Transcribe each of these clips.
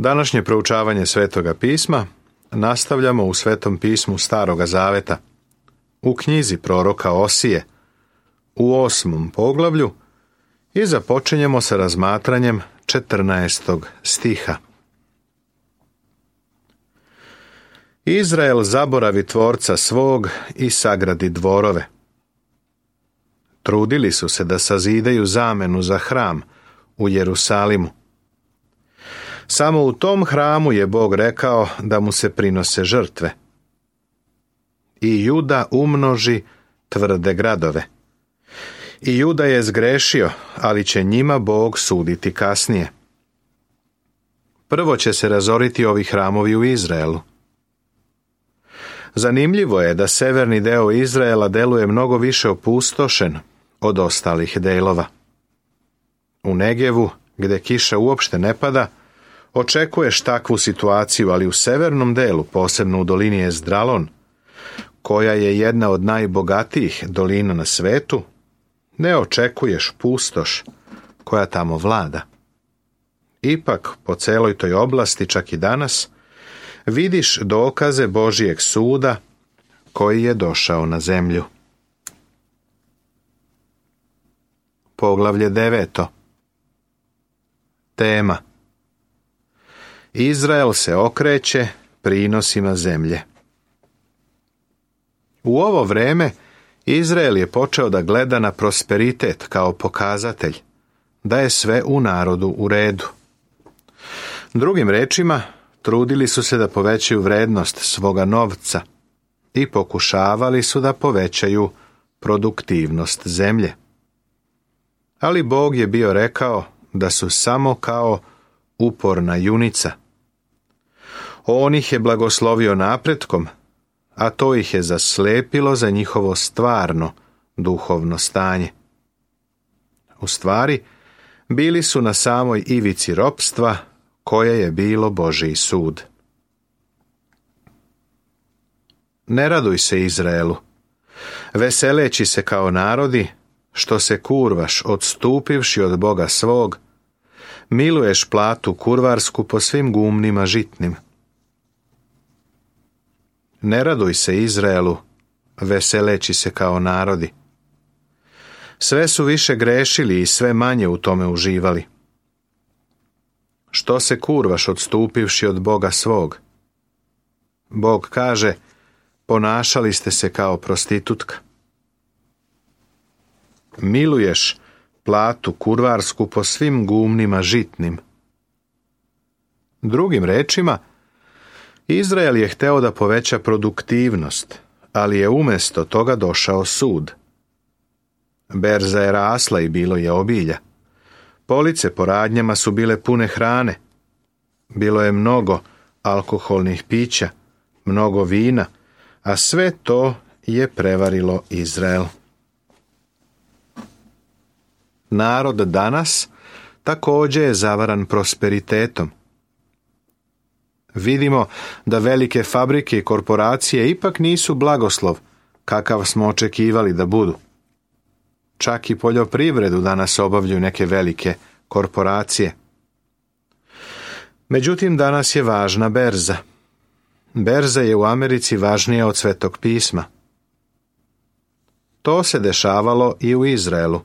Današnje proučavanje Svetoga pisma nastavljamo u Svetom pismu Staroga Zaveta, u knjizi proroka Osije, u 8. poglavlju i započinjemo sa razmatranjem 14. stiha. Izrael zaboravi tvorca svog i sagradi dvorove. Trudili su se da sazidaju zamenu za hram u Jerusalimu. Samo u tom hramu je Bog rekao da mu se prinose žrtve. I Juda umnoži tvrde gradove. I Juda je zgrešio, ali će njima Bog suditi kasnije. Prvo će se razoriti ovi hramovi u Izraelu. Zanimljivo je da severni deo Izraela deluje mnogo više opustošen od ostalih delova. U Negevu, gde kiša uopšte ne pada, očekuješ takvu situaciju, ali u severnom delu, posebno u dolini Ezdralon, koja je jedna od najbogatijih dolina na svetu, ne očekuješ pustoš koja tamo vlada. Ipak, po celoj toj oblasti, čak i danas, vidiš dokaze Božijeg suda koji je došao na zemlju. Poglavlje 9. Tema: Izrael se okreće prinosima zemlje. U ovo vreme Izrael je počeo da gleda na prosperitet kao pokazatelj da je sve u narodu u redu. Drugim rečima, trudili su se da povećaju vrednost svoga novca i pokušavali su da povećaju produktivnost zemlje. Ali Bog je bio rekao da su samo kao uporna junica. On ih je blagoslovio napretkom, a to ih je zaslepilo za njihovo stvarno duhovno stanje. U stvari, bili su na samoj ivici ropstva koje je bilo Božji sud. Ne raduj se, Izraelu, veseleći se kao narodi, što se kurvaš odstupivši od Boga svog, miluješ platu kurvarsku po svim gumnima žitnim. Ne raduj se, Izraelu, veseleći se kao narodi. Sve su više grešili i sve manje u tome uživali. Što se kurvaš odstupivši od Boga svog? Bog kaže, ponašali ste se kao prostitutka. Miluješ platu kurvarsku po svim gumnima žitnim. Drugim rečima, Izrael je hteo da poveća produktivnost, ali je umjesto toga došao sud. Berza je rasla i bilo je obilja. Police po radnjama su bile pune hrane. Bilo je mnogo alkoholnih pića, mnogo vina, a sve to je prevarilo Izrael. Narod danas također je zavaran prosperitetom. Vidimo da velike fabrike i korporacije ipak nisu blagoslov kakav smo očekivali da budu. Čak i poljoprivredu danas obavljaju neke velike korporacije. Međutim, danas je važna berza. Berza je u Americi važnija od Svetog pisma. To se dešavalo i u Izraelu.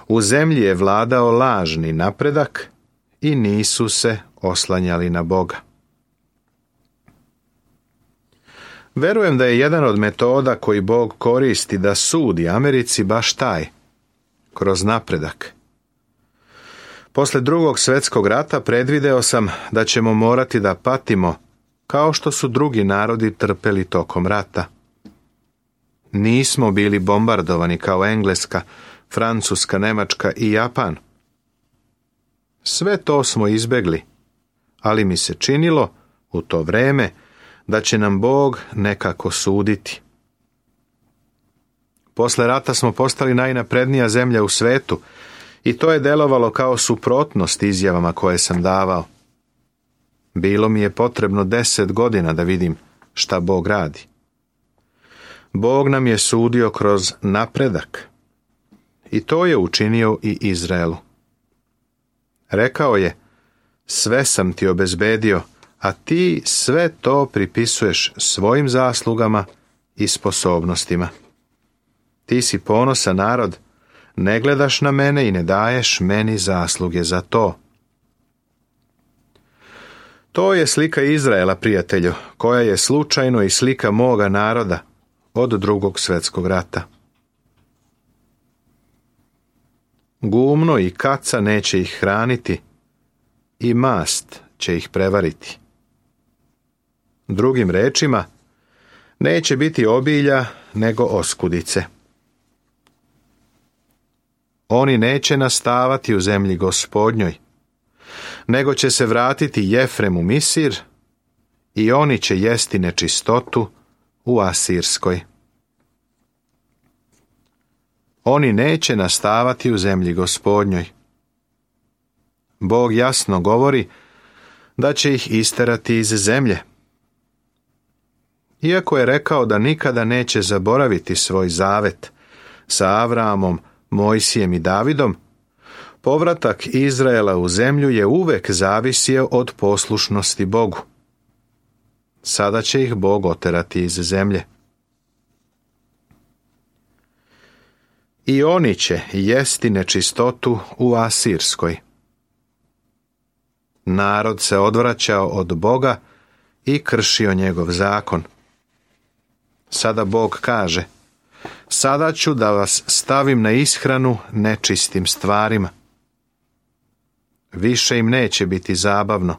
U zemlji je vladao lažni napredak i nisu se oslanjali na Boga. Verujem da je jedan od metoda koji Bog koristi da sudi Americi baš taj, kroz napredak. Posle Drugog svjetskog rata predvideo sam da ćemo morati da patimo kao što su drugi narodi trpeli tokom rata. Nismo bili bombardovani kao Engleska, Francuska, Nemačka i Japan. Sve to smo izbegli, ali mi se činilo u to vreme da će nam Bog nekako suditi. Posle rata smo postali najnaprednija zemlja u svetu i to je delovalo kao suprotnost izjavama koje sam davao. Bilo mi je potrebno 10 godina da vidim šta Bog radi. Bog nam je sudio kroz napredak i to je učinio i Izraelu. Rekao je, Sve sam ti obezbedio, a ti sve to pripisuješ svojim zaslugama i sposobnostima. Ti si ponosan narod, ne gledaš na mene i ne daješ meni zasluge za to. To je slika Izraela, prijatelju, koja je slučajno i slika moga naroda od Drugog svjetskog rata. Gumno i kaca neće ih hraniti i mast će ih prevariti. Drugim rečima, neće biti obilja nego oskudice. Oni neće nastavati u zemlji Gospodnjoj, nego će se vratiti Jefrem u Misir i oni će jesti nečistotu u Asirskoj. Oni neće nastavati u zemlji Gospodnjoj. Bog jasno govori da će ih isterati iz zemlje. Iako je rekao da nikada neće zaboraviti svoj zavet sa Avramom, Mojsijem i Davidom, povratak Izraela u zemlju je uvek zavisio od poslušnosti Bogu. Sada će ih Bog oterati iz zemlje. I oni će jesti nečistotu u Asirskoj. Narod se odvraćao od Boga i kršio njegov zakon. Sada Bog kaže: sada ću da vas stavim na ishranu nečistim stvarima. Više im neće biti zabavno.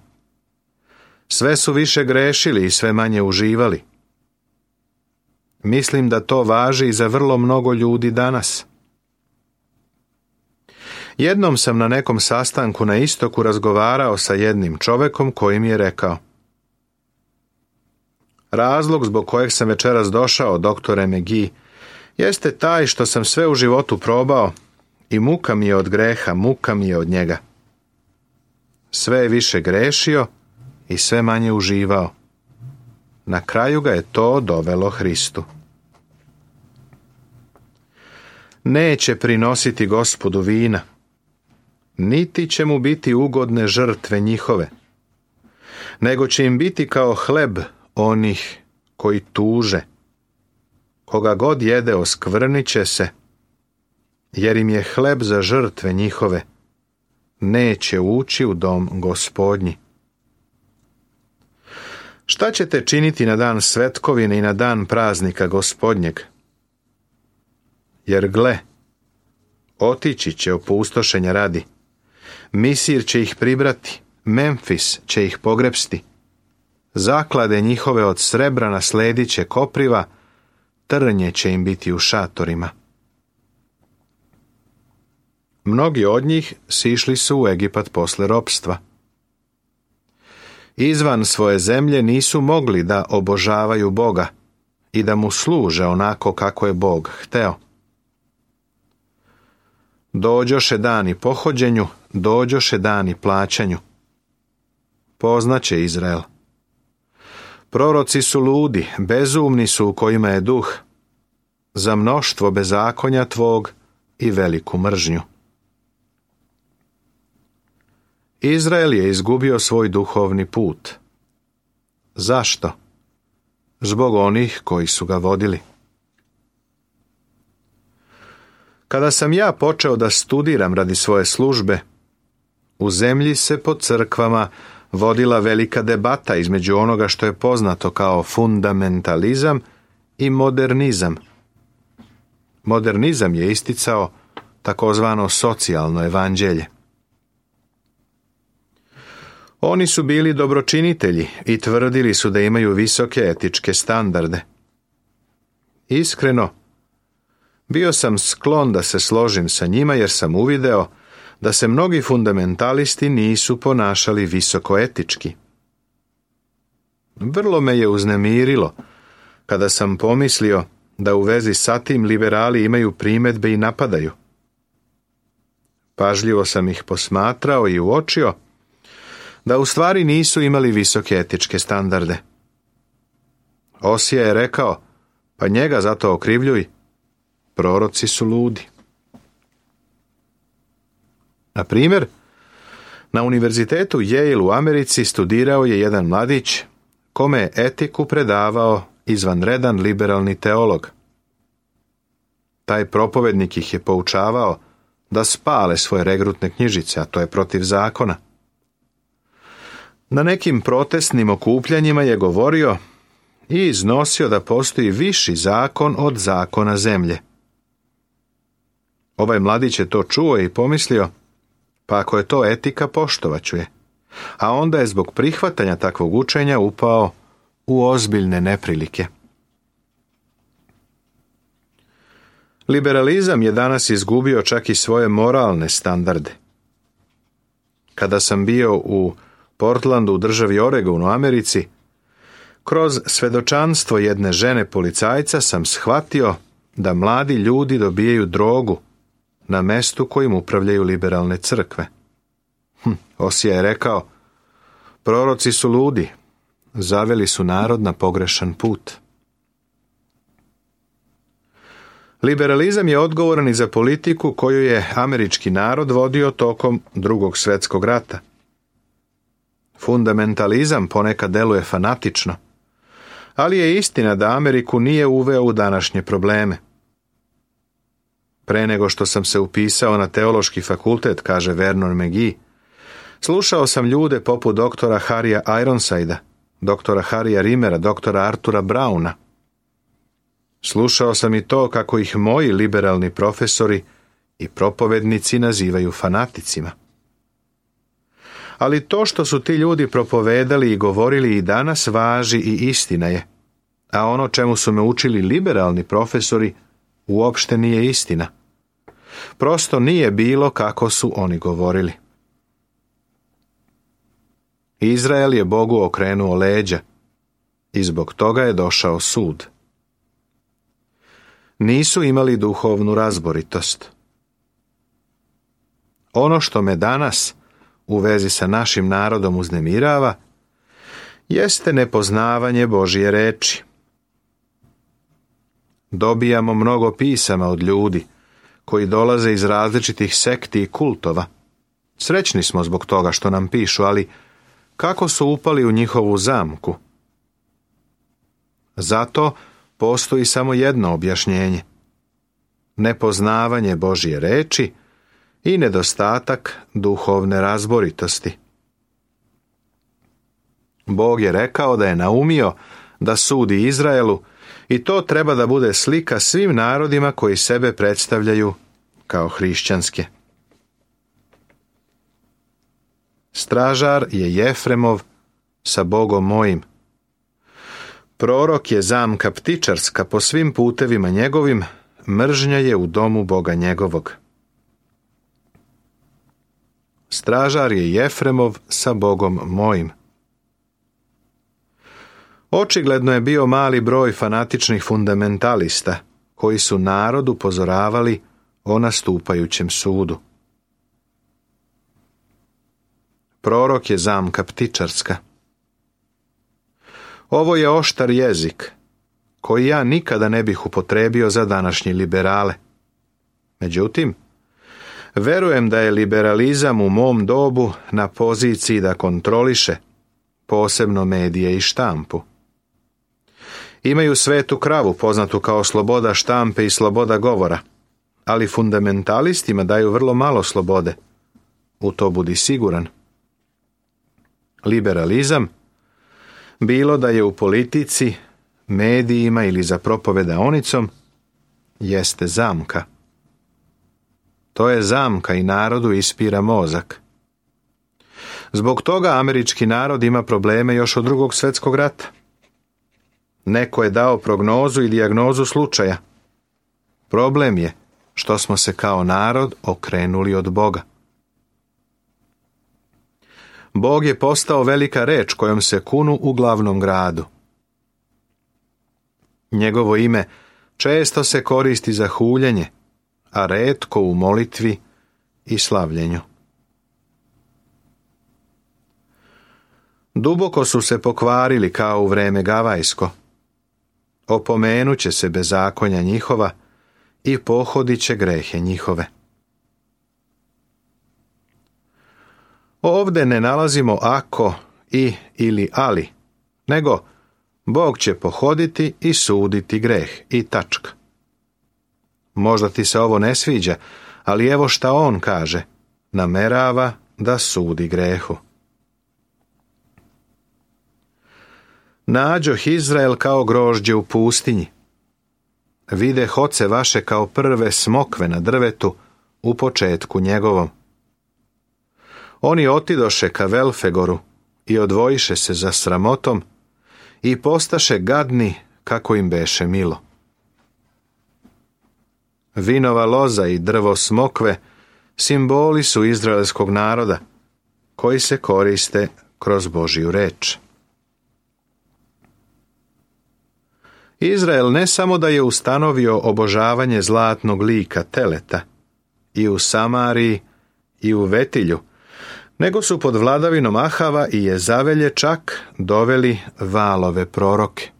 Sve su više grešili i sve manje uživali. Mislim da to važi i za vrlo mnogo ljudi danas. Jednom sam na nekom sastanku na istoku razgovarao sa jednim čovekom koji mi je rekao: razlog zbog kojeg sam večeras došao, doktore McGee, jeste taj što sam sve u životu probao i muka mi je od greha, muka mi je od njega. Sve je više grešio i sve manje uživao. Na kraju ga je to dovelo Hristu. Neće prinositi Gospodu vina, niti će mu biti ugodne žrtve njihove, nego će im biti kao hleb onih koji tuže. Koga god jede oskvrnit će se, jer im je hleb za žrtve njihove, neće ući u dom Gospodnji. Šta ćete činiti na dan svetkovine i na dan praznika Gospodnjeg? Jer gle, otići će opustošenja radi. Misir će ih pribrati, Memfis će ih pogrepsti. Zaklade njihove od srebra nasledit će kopriva, trnje će im biti u šatorima. Mnogi od njih sišli su u Egipat posle ropstva. Izvan svoje zemlje nisu mogli da obožavaju Boga i da mu služe onako kako je Bog hteo. Dođoše dani pohođenju, dođoše dani plaćanju. Poznaće Izrael. Proroci su ludi, bezumni su u kojima je duh, za mnoštvo bezakonja tvog i veliku mržnju. Izrael je izgubio svoj duhovni put. Zašto? Zbog onih koji su ga vodili. Kada sam ja počeo da studiram radi svoje službe, u zemlji se po crkvama vodila velika debata između onoga što je poznato kao fundamentalizam i modernizam. Modernizam je isticao takozvano socijalno evanđelje. Oni su bili dobročinitelji i tvrdili su da imaju visoke etičke standarde. Iskreno, bio sam sklon da se složim sa njima jer sam uvideo da se mnogi fundamentalisti nisu ponašali visoko etički. Vrlo me je uznemirilo kada sam pomislio da u vezi sa tim liberali imaju primedbe i napadaju. Pažljivo sam ih posmatrao i uočio da u stvari nisu imali visoke etičke standarde. Osija je rekao: pa njega zato okrivljuj, proroci su ludi. Na primjer, Na univerzitetu Yale u Americi studirao je jedan mladić kome je etiku predavao izvanredan liberalni teolog. Taj propovednik ih je poučavao da spale svoje regrutne knjižice, a to je protiv zakona. Na nekim protestnim okupljanjima je govorio i iznosio da postoji viši zakon od zakona zemlje. Ovaj mladić je to čuo i pomislio, pa ako je to etika, poštovaću je. A onda je zbog prihvatanja takvog učenja upao u ozbiljne neprilike. Liberalizam je danas izgubio čak i svoje moralne standarde. Kada sam bio u Portlandu u državi Oregon u Americi, kroz svedočanstvo jedne žene policajca sam shvatio da mladi ljudi dobijaju drogu na mestu kojim upravljaju liberalne crkve. Osija je rekao, proroci su ludi, zaveli su narod na pogrešan put. Liberalizam je odgovoran i za politiku koju je američki narod vodio tokom Drugog svjetskog rata. Fundamentalizam ponekad deluje fanatično, ali je istina da Ameriku nije uveo u današnje probleme. Pre nego što sam se upisao na teološki fakultet, kaže Vernon McGee, slušao sam ljude poput doktora Harrya Ironsidea, doktora Harrya Rimera, doktora Artura Browna. Slušao sam i to kako ih moji liberalni profesori i propovednici nazivaju fanaticima. Ali to što su ti ljudi propovedali i govorili i danas važi i istina je, a ono čemu su me učili liberalni profesori uopšte nije istina. Prosto nije bilo kako su oni govorili. Izrael je Bogu okrenuo leđa i zbog toga je došao sud. Nisu imali duhovnu razboritost. Ono što me danas u vezi sa našim narodom uznemirava jeste nepoznavanje Božje reči. Dobijamo mnogo pisama od ljudi koji dolaze iz različitih sekti i kultova. Srećni smo zbog toga što nam pišu, ali kako su upali u njihovu zamku? Zato postoji samo jedno objašnjenje. Nepoznavanje Božje reči i nedostatak duhovne razboritosti. Bog je rekao da je naumio da sudi Izraelu i to treba da bude slika svim narodima koji sebe predstavljaju kao hrišćanske. Stražar je Jefremov sa Bogom mojim. Prorok je zamka ptičarska po svim putevima njegovim, mržnja je u domu Boga njegovog. Stražar je Jefremov sa Bogom mojim. Očigledno je bio mali broj fanatičnih fundamentalista koji su narod upozoravali o nastupajućem sudu. Prorok je zamka ptičarska. Ovo je oštar jezik koji ja nikada ne bih upotrebio za današnje liberale. Međutim, verujem da je liberalizam u mom dobu na poziciji da kontroliše, posebno medije i štampu. Imaju svetu kravu poznatu kao sloboda štampe i sloboda govora, ali fundamentalistima daju vrlo malo slobode. U to budi siguran. Liberalizam, bilo da je u politici, medijima ili za propovedaonicom, jeste zamka. To je zamka i narodu ispira mozak. Zbog toga američki narod ima probleme još od Drugog svjetskog rata. Neko je dao prognozu i dijagnozu slučaja. Problem je što smo se kao narod okrenuli od Boga. Bog je postao velika reč kojom se kunu u glavnom gradu. Njegovo ime često se koristi za huljenje, a retko u molitvi i slavljenju. Duboko su se pokvarili kao u vreme Gavajsko. Opomenut će se bezakonja njihova i pohodit će grehe njihove. Ovdje ne nalazimo ako, i ili ali, nego Bog će pohoditi i suditi greh i tačka. Možda ti se ovo ne sviđa, ali evo šta on kaže, namerava da sudi grehu. Nađoh Izrael kao grožđe u pustinji. Videh oce vaše kao prve smokve na drvetu u početku njegovom. Oni otidoše ka Velfegoru i odvojiše se za sramotom i postaše gadni kako im beše milo. Vinova loza i drvo smokve simboli su izraelskog naroda koji se koriste kroz Božju reč. Izrael ne samo da je ustanovio obožavanje zlatnog lika teleta i u Samariji i u Vetilju, nego su pod vladavinom Ahava i Jezavelje čak doveli Valove proroke.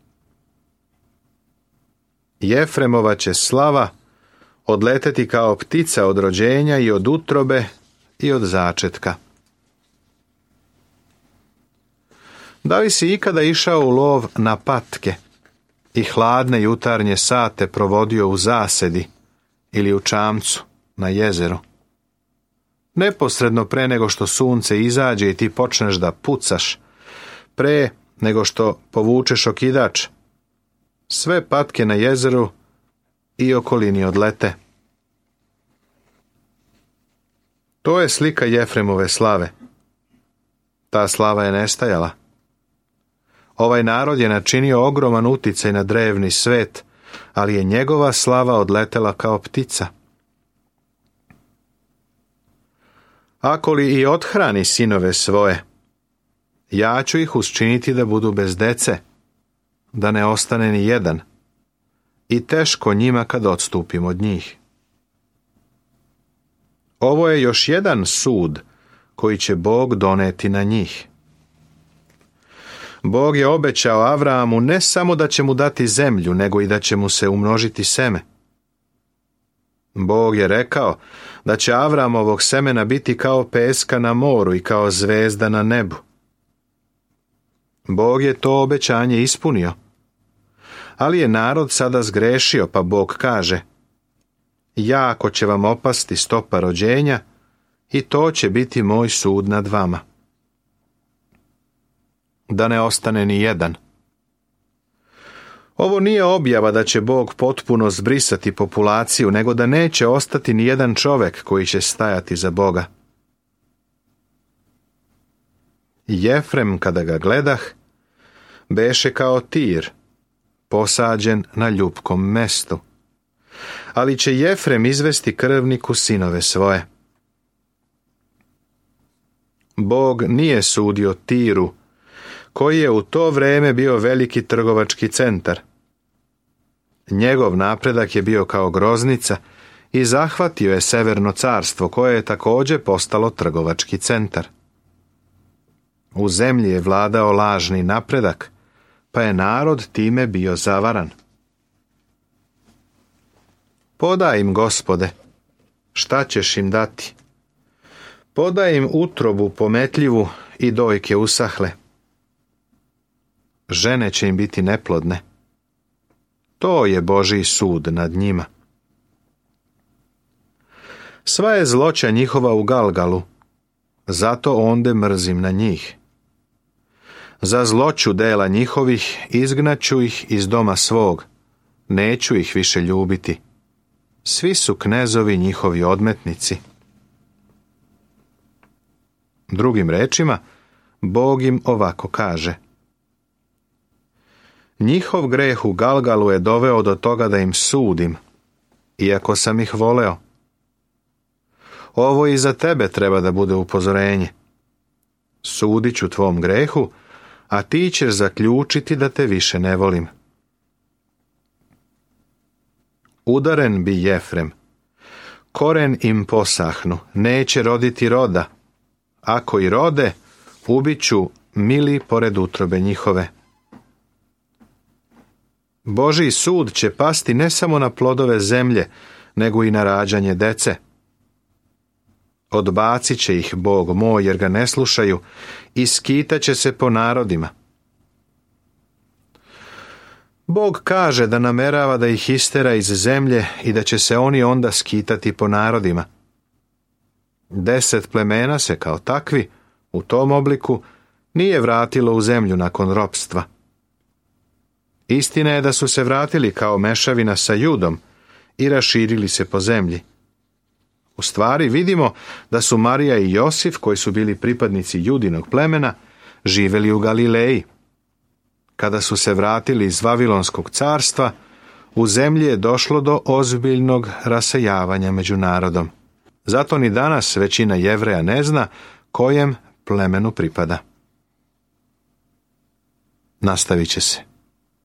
Jefremova će slava odleteti kao ptica od rođenja i od utrobe i od začetka. Da li si ikada išao u lov na patke i hladne jutarnje sate provodio u zasedi ili u čamcu na jezeru? Neposredno pre nego što sunce izađe i ti počneš da pucaš, pre nego što povučeš okidač, sve patke na jezeru i okolini odlete. To je slika Jefremove slave. Ta slava je nestajala. Ovaj narod je načinio ogroman uticaj na drevni svet, ali je njegova slava odletela kao ptica. Ako li i othrani sinove svoje, ja ću ih učiniti da budu bez dece, da ne ostane ni jedan, i teško njima kad odstupim od njih. Ovo je još jedan sud koji će Bog doneti na njih. Bog je obećao Avraamu ne samo da će mu dati zemlju, nego i da će mu se umnožiti seme. Bog je rekao da će Avraamovog semena biti kao peska na moru i kao zvezda na nebu. Bog je to obećanje ispunio. Ali je narod sada zgrešio, pa Bog kaže: jako će vam opasti stopa rođenja i to će biti moj sud nad vama. Da ne ostane ni jedan. Ovo nije objava da će Bog potpuno zbrisati populaciju, nego da neće ostati ni jedan čovjek koji će stajati za Boga. Jefrem, kada ga gledah, beše kao tir, posađen na ljupkom mestu. Ali će Jefrem izvesti krvniku sinove svoje. Bog nije sudio Tiru, koji je u to vrijeme bio veliki trgovački centar. Njegov napredak je bio kao groznica i zahvatio je Severno carstvo, koje je također postalo trgovački centar. U zemlji je vladao lažni napredak, pa je narod time bio zavaran. Podaj im, Gospode, šta ćeš im dati? Podaj im utrobu pometljivu i dojke usahle. Žene će im biti neplodne. To je Božji sud nad njima. Sva je zloća njihova u Galgalu, zato onde mrzim na njih. Za zloću dela njihovih izgnaću ih iz doma svog, neću ih više ljubiti. Svi su knezovi njihovi odmetnici. Drugim rečima, Bog im ovako kaže: njihov greh u Galgalu je doveo do toga da im sudim, iako sam ih voleo. Ovo i za tebe treba da bude upozorenje. Sudit ću tvom grehu, a ti ćeš zaključiti da te više ne volim. Udaren bi Jefrem, koren im posahnu, neće roditi roda. Ako i rode, ubit ću mili pored utrobe njihove. Božji sud će pasti ne samo na plodove zemlje, nego i na rađanje dece. odbacit će ih Bog moj jer ga ne slušaju i skitat će se po narodima. Bog kaže da namerava da ih istera iz zemlje i da će se oni onda skitati po narodima. 10 plemena se kao takvi, u tom obliku, nije vratilo u zemlju nakon ropstva. Istina je da su se vratili kao mešavina sa Judom i raširili se po zemlji. U stvari vidimo da su Marija i Josif, koji su bili pripadnici Judinog plemena, živjeli u Galileji. Kada su se vratili iz Vavilonskog carstva, u zemlji je došlo do ozbiljnog rasejavanja među narodom. Zato ni danas većina Jevreja ne zna kojem plemenu pripada. Nastavit će se.